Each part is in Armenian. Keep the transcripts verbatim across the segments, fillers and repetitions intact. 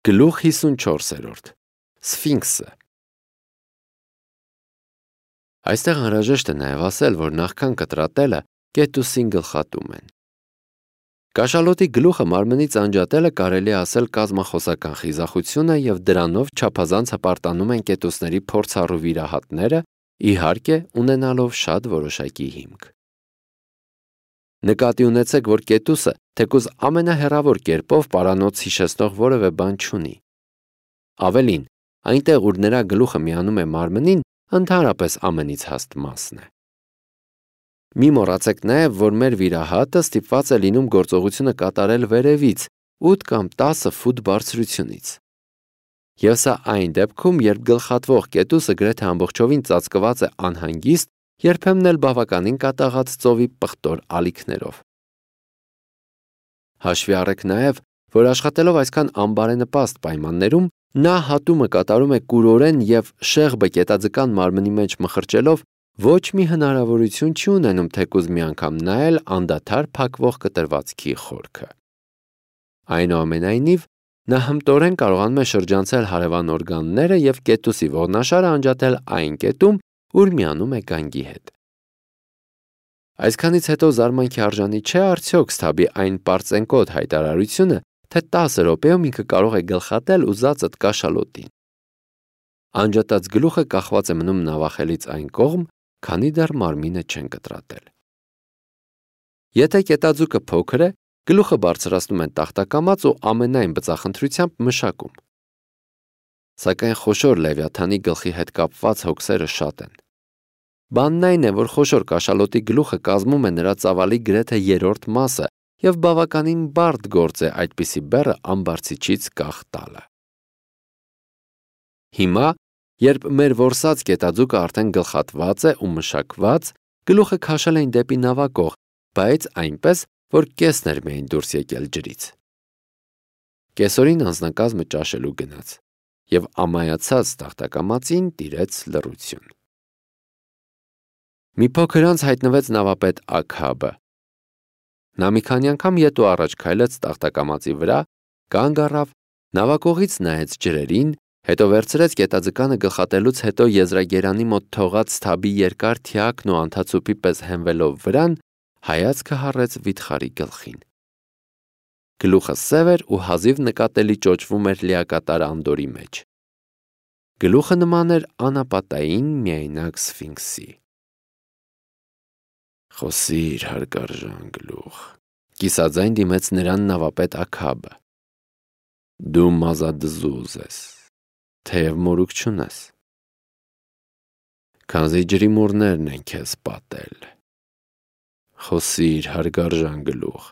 Գլուխ հիսունչորսերորդ Սֆինքսը Այստեղ անհրաժեշտ է նաև ասել, որ նախքան կտրատելը կետուսին գլխատում են։ Կաշալոտի գլուխը մարմնից անջատելը կարելի է ասել կազմախոսական խիզախություն է և դրանով չափազանց հպարտանում են կետուսների փորձառու վիրահատները, իհարկե ունենալով շատ որոշակի հիմք։ Նկատի ունեցեք, որ կետուսը թեկուզ ամենահեռավոր կերպով պարանոց հիշեցնող որևէ բան չունի։ Ավելին, այնտեղ, ուր նրա գլուխը միանում է մարմնին, ընդհանրապես ամենից հաստ մասն է։ Մի մոռացեք նաև, որ մեր վիրահատը ստիպված է լինում գործողությունը կատարել վերևից, ութ կամ տասը ֆուտ բարձրությունից։ Եվ սա այն դեպքում, երբ գլխատվող կետուսը գրեթե ամբողջովին ծածկված է անհանգիստ, երբեմն էլ բավականին կատաղած ծովի պղտոր ալիքներով։ Հաշվի առեք նաև, որ աշխատելով այսքան անբարենպաստ պայմաններում, նա հատումը կատարում է կուրորեն և շեղբը կետաձկան մարմնի մեջ մխրճելով ոչ մի հնարավորություն չի ունենում թեկուզ մի անգամ նայել անդադար փակվող կտրվածքի խորքը։ Այնուամենայնիվ, նա հմտորեն կարողանում է շրջանցել հարևան օրգանները և կետուսի ողնաշարը անջատել այն կետում, ուր միանում է գանգի հետ։ Այսքանից հետո զարմանքի արժանի չէ արդյոք Սթաբի այն պարծենկոտ հայտարարությունը, թե տասը րոպեում ինքը կարող է գլխատել ուզածդ կաշալոտին։ Անջատած գլուխը կախված է մնում նավախելից այն կողմ, քանի դեռ մարմինը չեն կտրատել։ Եթե կետաձուկը փոքր է, գլուխը բարձրացնում են տախտակամած ու ամենայն բծախնդրությամբ մշակում։ Սակայն խոշոր լևիաթանի գլխի հետ կապված հոգսերը շատ են։ Բանն այն է, որ խոշոր կաշալոտի գլուխը կազմում է նրա ծավալի գրեթե երրորդ մասը և բավականին բարդ գործ է այդպիսի բեռը ամբարձիչից կախ տալը։ Հիմա, երբ մեր որսած կետաձուկը արդեն գլխատված է ու մշակված, գլուխը քաշել էին դեպի նավակող, բայց այնպես, որ կեսն էր միայն դուրս եկել ջրից։ Կեսօրին անձնակազմը ճաշելու գնաց և ամայացած տախտակամածին տիրեց լռություն։ Մի փոքր անց հայտնվեց նավապետ Աքաբը։ Նա մի քանի անգամ ետ ու առաջ քայլեց տախտակամածի վրա, կանգ առավ, նավակողից նայեց ջրերին, հետո վերցրեց կետաձկանը գլխատելուց հետո եզրագերանի մոտ թողած Սթաբի երկար թիակն ու անթացուպի պես հենվելով վրան, հայացքը հառեց վիթխարի գլխին։ Գլուխը սև էր ու հազիվ նկատելի ճոճվում էր լիակատար անդորի մեջ։ Գլուխը նման էր անապատային միայնակ սֆինքսի։ Խոսիր, հարգարժան գլուխ, կիսաձայն դիմեց նրան նավապետ Աքաբը։ Դու մազադզուզ ես, թեև մորուք չունես։ Քանզի ջրի մուրներն են քեզ պատել։ Խոսիր, հարգարժան գլուխ,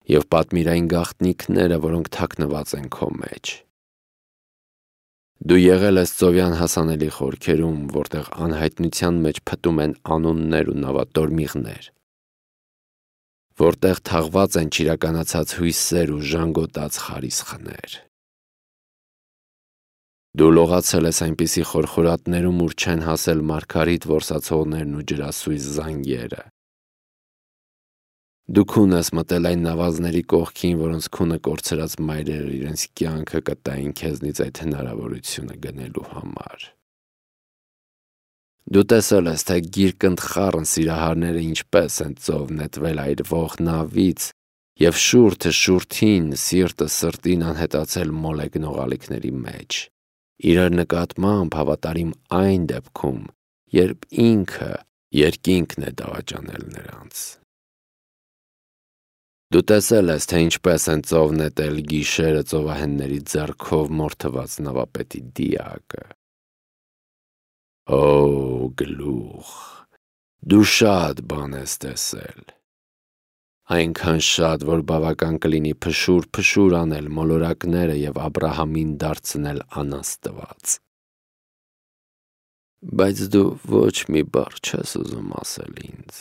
և պատմիր այն գաղտնիքները, որոնք թաքնված են քո մեջ։ Դու եղել ես ծովյան հասանելի խորքերում, որտեղ անհայտնության մեջ փտում են անուններ ու նավատորմիղներ, որտեղ թաղված են չիրականացած հույսեր ու ժանգոտած խարիսխներ։ Դու լողացել ես այնպիսի խորխորատներում, ուր չեն հասել մարգարիտ որսացողներն ու ջրասույզ զանգերը։ Դու քուն ես մտել այն նավազների կողքին, որոնց քունը կորցրած մայրերը իրենց կյանքը կտային քեզնից այդ հնարավորությունը գնելու համար։ Դու տեսել ես, թե գիրկընդ խառն սիրահարները ինչպես են ծով նետվել այրվող նավից և շուրթը շուրթին, սիրտը սրտին անհետացել մոլեգնող ալիքների մեջ, իրար նկատմամբ հավատարիմ այն դեպքում, երբ ինքը երկինքն է դավաճանել նրանց։ Դու տեսել ես, թե ինչպես են ծով նետել գիշերը ծովահենների ձեռքով մորթված նավապետի դիակը։ Օ, գլուխ, դու շատ բան ես տեսել։ Այնքան շատ, որ բավական կլինի փշուր-փշուր անել մոլորակները և Աբրահամին դարձնել անաստված։ Բայց դու ոչ մի բառ չես ուզում ասել ինձ։